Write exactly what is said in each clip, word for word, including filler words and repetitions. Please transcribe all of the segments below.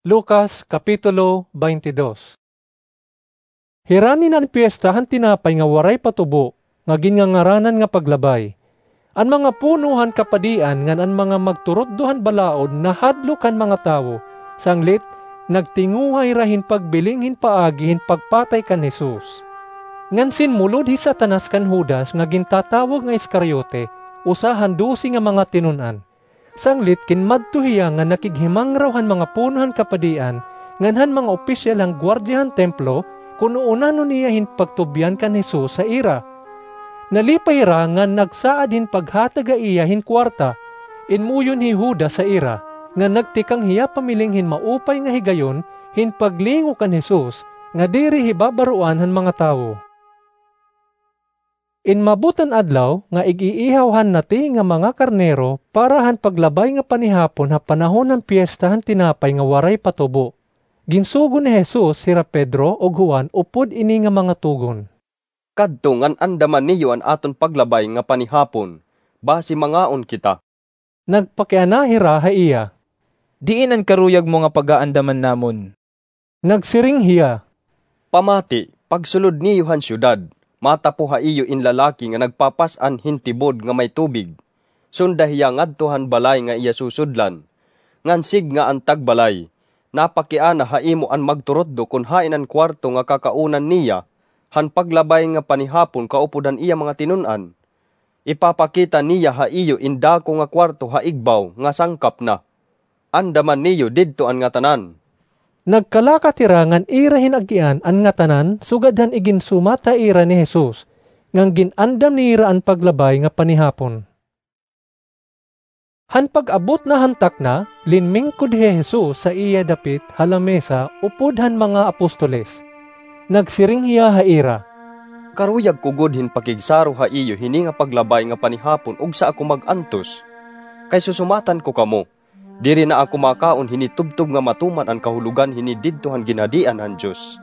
Lucas, Kapitulo twenty-two. Hirani na an Piyesta han Tinapay nga Waray pa Tubo, nga ginngangaranan nga Paglabay. An mga puno han kapadian ngan an mga magturutdo han balaod nahadlok han mga tawo, sanglit nagtinguha hira hin pagbiling hin paagi hin pagpatay kan Jesus. Ngan sinmulod hi Satanas kan Judas nga gintatawag nga Iscariote, usa han dose nga mga tinun-an. Sanglit ginmadto hiya ngan nakighimangraw han mga puno han kapadian ngan han mga opisyal han guwardiya han templo kon uunahon niya hin pagtubyan kan Jesus ha ira. Nalipay hira ngan nagsaad hin paghatag ha iya hin kuwarta. Inmuyon hi Judas ha ira, ngan nagtikang hiya pamiling hin maupay nga higayon hin paglingo kan Jesus nga diri hibabaroan han mga tawo. Inmabot an adlaw nga ig-iihaw han nati nga mga karnero para han paglabay nga panihapon ha panahon han Piyesta han Tinapay nga Waray pa Tubo. Ginsugo ni Jesus hira Pedro ug Juan upod ini nga mga tugon. Kadto ngan andaman niyo an aton paglabay nga panihapon, basi mangaon kita. Nagpakiana hira ha iya. Diin an karuyag mo nga pagaandaman namon? Nagsiring hiya. Pamati, pagsulod niyo han syudad, matapo ha iyo in lalaki nga nagpapas-an hin tibod nga may tubig. Sunda hiya ngadto han balay nga iya susudlan. Ngan sidnga an tagbalay, napakiana ha imo an magturutdo kon hain an kuwarto nga kakaunan niya han paglabay nga panihapon kaupod han iya mga tinun-an. Ipapakita niya ha iyo in dako nga kuwarto ha igbaw nga sangkap na. Andaman niyo didto an ngatanan. Nagkalakat hira ngan ira hin agian an ngatanan sugad han iginsumat ha ira ni Jesus, ngan gin-andam nira an paglabay nga panihapon. Han pag-abot na han takna, linmingkod hi Jesus ha iya dapit ha lamesa upod han mga apostoles. Nagsiring hiya ha ira. Karuyag ko gud hin pakigsaro ha iyo hini nga paglabay nga panihapon ugsa ako mag-antos. Kay susumatan ko kamo, diri na ako makaon hini tubtob nga matuman an kahulogan hini didto han ginhadian han Dios.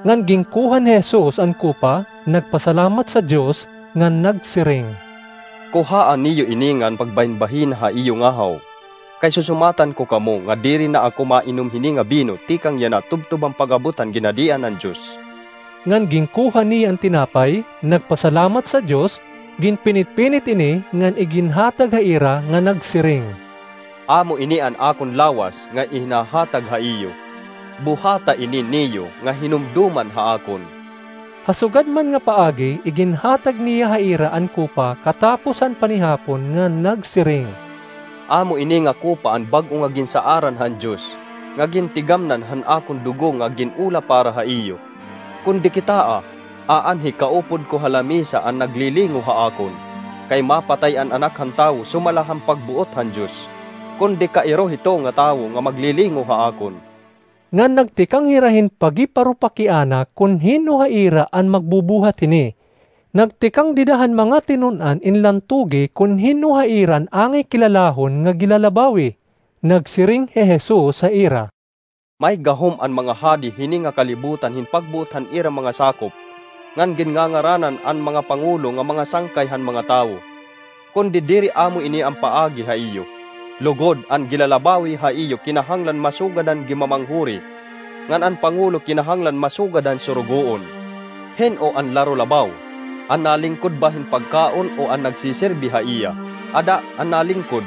Ngan ginkuha ni Jesus an kupa, nagpasalamat sa Dios, ngan nagsiring. Kuhaa niyo ini ngan pagbahinbahina ha iyo ngahaw. Kay susumatan ko kamo nga diri na ako mainom hini nga bino tikang yana tubtob han pag-abot han ginhadian han Dios. Ngan ginkuha niya an tinapay, nagpasalamat sa Dios, ginpinitpinit ini ngan iginhatag ha ira nga nagsiring. Amo ini an akon lawas nga ihinhahatag ha iyo. Buhata ini niyo nga hinumdoman ha akon. Ha sugad man nga paagi, iginhatag niya ha ira an kupa katapos han panihapon ngan nagsiring. Amo ini nga kupa an bag-o nga ginsaaran han Dios, nga gintigamnan han akon dugo nga gin-ula para ha iyo. Kon di kitaa, aanhi kaupod ko ha lamisa an naglilingo ha akon. Kay mapatay an Anak han Tawo sumala han pagbuot han Dios. Kon di kairo hito nga tawo nga maglilingo ha akon. Ngan nagtikang hira hin pagiparupakiana kon hin-o ha ira an magbubuhat hini. Nagtikang dida han mga tinun-an in lantugi kon hin-o ha ira an angay kilalahon nga gilalabawi. Nagsiring hi Jesus ha ira. May gahom an mga hadi hini nga kalibutan hin pagbuot han ira mga sakop, ngan ginngangaranan an mga pangulo nga mga sangkay han mga tawo. Kundi diri amo ini an paagi ha iyo. Lugod, an gilalabawi ha iyo kinahanglan masugad han gimamanghuri, ngan an pangulo kinahanglan masugad han surugoon. Hin-o an laro labaw? An nalingkod ba hin pagkaon o an nagsiserbi ha iya? Ada, an nalingkod.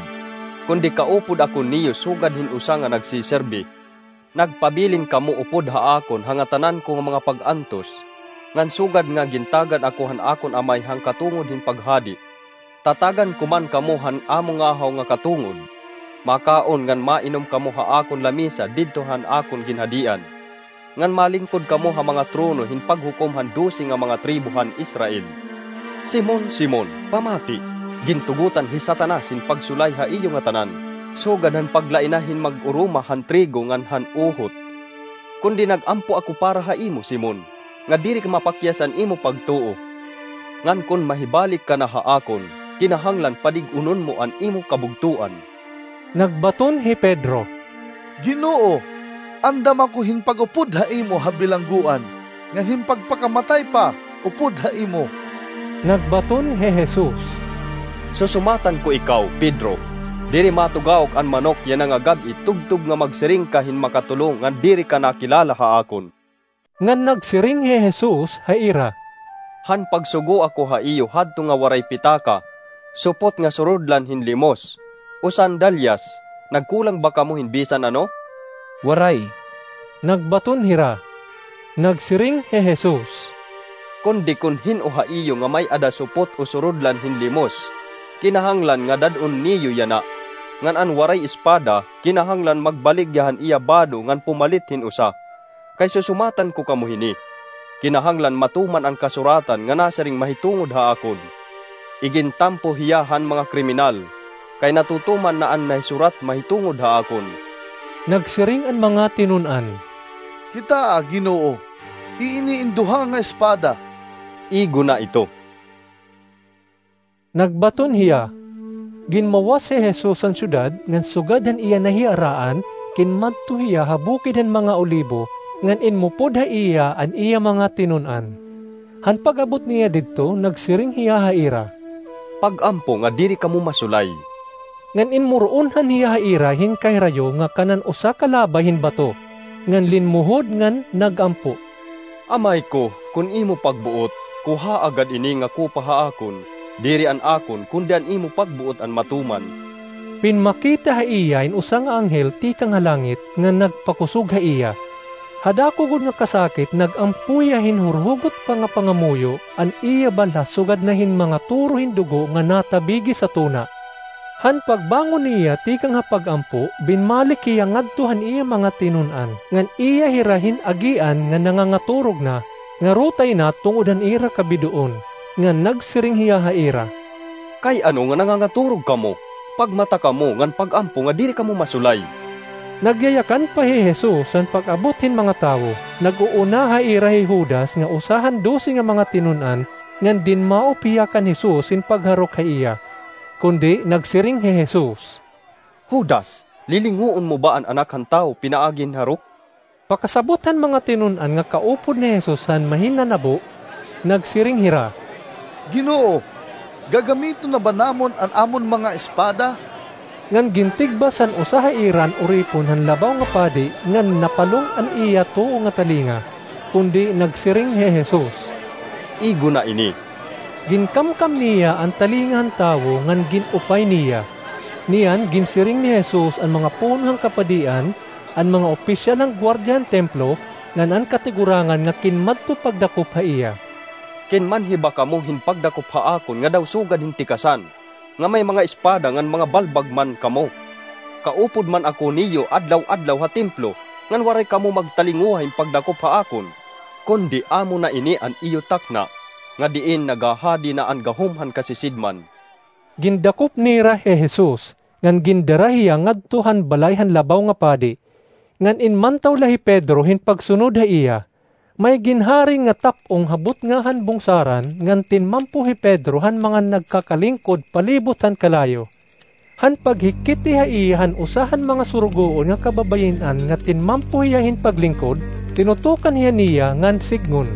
Kundi kaupod ako niyo sugad hin usa nga nagsiserbi. Nagpabilin kamo upod ha akon ha ngatanan ko nga mga pag-antos, ngan sugad nga gintagad ako han akon Amay han katungod hin paghadi, tatagan ko man kamo han amo ngahaw nga katungod. Makaon ngan mainom kamo ha akon lamisa didto han akon ginhadian, ngan malingkod kamo ha mga trono hin paghukom han dose nga mga tribo han Israel. Simon, Simon, pamati, gintugotan hi Satanas hin pagsulay ha iyo ngatanan, sugad han paglaina hin mag-uruma han trigo ngan han uhot. Kundi nag-ampo ako para ha imo, Simon, nga diri ka mapakyas han imo pagtuo. Ngan kon mahibalik ka na ha akon, kinahanglan padig-unon mo an imo kabugtoan. Nagbaton hi Pedro. Ginoo, andam ako hin pag-upod ha imo ha bilanggoan, ngan hin pagpakamatay pa upod ha imo. Nagbaton hi Jesus. Susumatan ko ikaw, Pedro, Diri matugaok an manok yana nga gab-i tubtob nga magsiring ka hin makatulo nga diri ka nakilala ha akon. Ngan nagsiring hi Jesus ha ira, "Han pagsugo ako ha iyo hadto nga waray pitaka, supot nga surudlan hin limos, o sandalyas, nagkulang ba kamo hin bisan ano?" "Waray," nagbaton hira. Nagsiring hi Jesus, "Kundi kon hin-o ha iyo nga may-ada supot o surudlan hin limos, kinahanglan nga dad-on niyo yana, ngan an waray espada, kinahanglan magbaligya han iya bado ngan pumalit hin usa. Kay susumatan ko kamo hini, kinahanglan matuman an kasuratan nga nasiring mahitungod ha akon, 'Igintampo hiya han mga kriminal,' kay natutuman na an nahisurat mahitungod ha akon." Nagsiring an mga tinun-an, "Kitaa, Ginoo, iini in duha nga espada." "Igona ito," nagbaton hiya. Ginmawas hi Jesus han syudad, ngan sugad han iya nahiaraan, kinmadto hiya ha Bukid han mga Olibo, ngan inmupod ha iya an iya mga tinun-an. Han pag-abot niya didto, nagsiring hiya ha ira, "Pag-ampo nga diri kamo masulay." Ngan inmuroonhan hiya ha ira hin kahirayo nga kanan usa ka labay hin bato, ngan linmuhod ngan nag-ampo, "Amay ko, kon imo pagbuot, kuhaa gad ini nga kopa ha akon. Diri an akon, kundi an imo pagbuot an matuman." Pinmakita ha iya in usa nga anghel tikang ha langit nga nagpakusog ha iya. Ha dako gud nga kasakit, nag-ampo hiya hin hurhugot pa nga pangamuyo, an iya balha sugad na hin mga turo hin dugo nga natabigi sa tuna. Han pagbangon niya tikang ha pag-ampo, binmalik hiya ngadto han iya mga tinun-an, ngan iya hira hin-agian nga nangangaturog na, ngarutay na tungod han ira kabidoon, ngan nagsiring hiya ha ira, "Kay ano nga nangangaturog kamo? Pagmata kamo ngan pag-ampo nga diri kamo masulay." Nagyayakan pa hi Jesus han pag-abot hin mga tawo. Nag-uuna ha ira hi Judas nga usa han dose nga mga tinun-an, ngan dinmaop hiya kan Jesus hin pagharok ha iya. Kundi nagsiring hi Jesus, "Judas, lilinguon mo ba an Anak han Tawo pinaagi hin harok?" Pakasabot han mga tinun-an nga kaupod ni Jesus han mahinanabo, nagsiring hira, "Ginoo, gagamiton na ba namon an amon mga espada?" Ngan gintigbas han usa ha ira an oripon han labaw nga padi ngan napalong an iya tuo nga talinga. Kundi nagsiring hi Jesus, "Igona ini." Ginkamkam niya an talinga han tawo ngan gin-upay niya. Niyan ginsiring ni Jesus an mga puno han kapadian, an mga opisyal han guardiya han templo, ngan an katigurangan nga kinmadto pagdakop ha iya, "Kinmanhi ba kamo hin pagdakop ha akon nga daw sugad hin tikasan, nga may mga espada ngan mga balbag man kamo? Kaupod man ako niyo adlaw-adlaw ha templo, ngan waray kamo magtalinguha hin pagdakop ha akon. Kundi amo na ini an iyo takna, nga diin naghahadi na an gahom han kasisidman." Gindakop nira hi Jesus, ngan gindara hiya ngadto han balay han labaw nga padi. Ngan inmantaw la hi Pedro hin pagsunod ha iya. May ginharing nga tap-ong ha butnga han bungsaran, ngan tinmampo hi Pedro han mga nagkakalingkod palibot han kalayo. Han paghikiti ha iya han usa han mga surugoon nga kababayin-an nga tinmampo hiya hin paglingkod, tinutukan hiya niya ngan sidngon,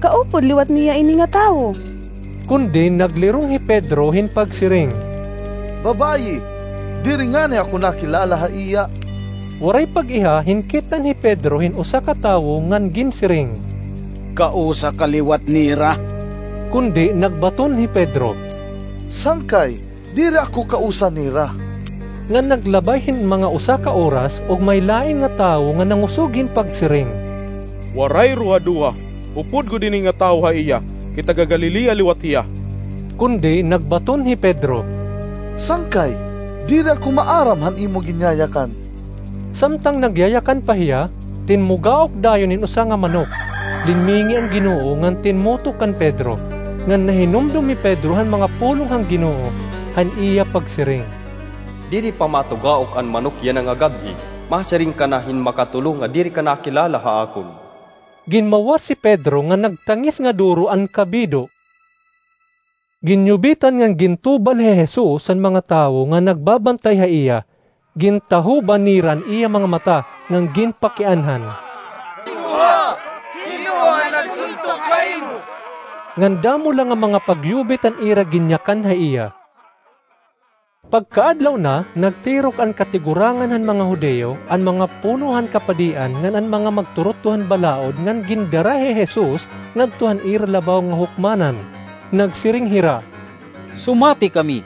"Kaupod liwat niya ini nga tawo." Kundi naglirong hi Pedro hin pagsiring, "Babayi, diri ngani ako nakilala ha iya." Waray pag-iha, hinkit-an hi Pedro hin usa ka tawo ngan ginsiring, "Kausa ka liwat nira." Kundi nagbaton hi Pedro, "Sangkay, diri ako kausa nira." Ngan naglabay hin mga usa ka oras, ug may lain nga tawo nga nangusog hin pagsiring, "Waray ruhaduha, upod gud ini nga tawo ha iya, kay taga-Galilea liwat hiya." Kundi nagbaton hi Pedro, "Sangkay, diri ako maaram han imo ginyayakan." Samtang nagyayakan pa hiya, tinmugaok dayon hin usa nga manok. Linmingi an Ginoo ngan tinmuto kan Pedro, ngan nahinumdom hi Pedro han mga pulong han Ginoo, han iya pagsiring, "Diri pa matugaok an manok yana nga gab-i, masiring ka na hin makatulo nga diri ka nakilala ha akon." Ginmawas hi Pedro ngan nagtangis nga duro an kabido. Ginyubitan ngan gintubal hi Jesus han mga tawo nga nagbabantay ha iya. Gintahoban nira an iya mga mata ngan ginpakianhan, "Kinuha! Kinuha an nagsuntok ha imo!" Ngan damo la nga mga pagyubit an ira ginyakan ha iya. Pagkaadlaw na, nagtirok an katigurangan han mga Judio, an mga puno han kapadian ngan an mga magturutdo han balaod ngan gindara hi Jesus ngadto han ira labaw nga hukmanan. Nagsiring hira, "Sumati kami,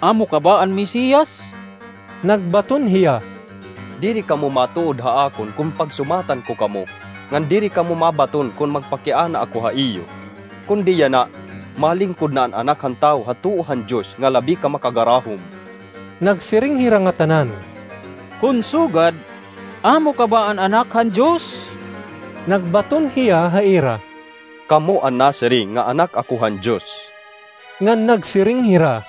amo ka ba an Mesias?" Nagbaton hiya, "Diri kamo matuod ha akon kon pagsumatan ko kamo, ngan diri kamo mabaton kon magpakiana ako ha iyo. Kundi yana, malingkod na an Anak han Tawo ha tuo han Dios nga labi ka makagarahom." Nagsiring hira ngatanan, "Kon sugad, amo ka ba an Anak han Dios?" Nagbaton hiya ha ira, "Kamo an nasiring nga Anak ako han Dios." Ngan nagsiring hira,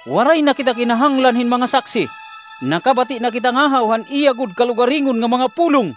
"Waray na kita kinahanglan hin mga saksi. Nakabati na kita ngahaw han iya gud kalugaringon nga mga pulong."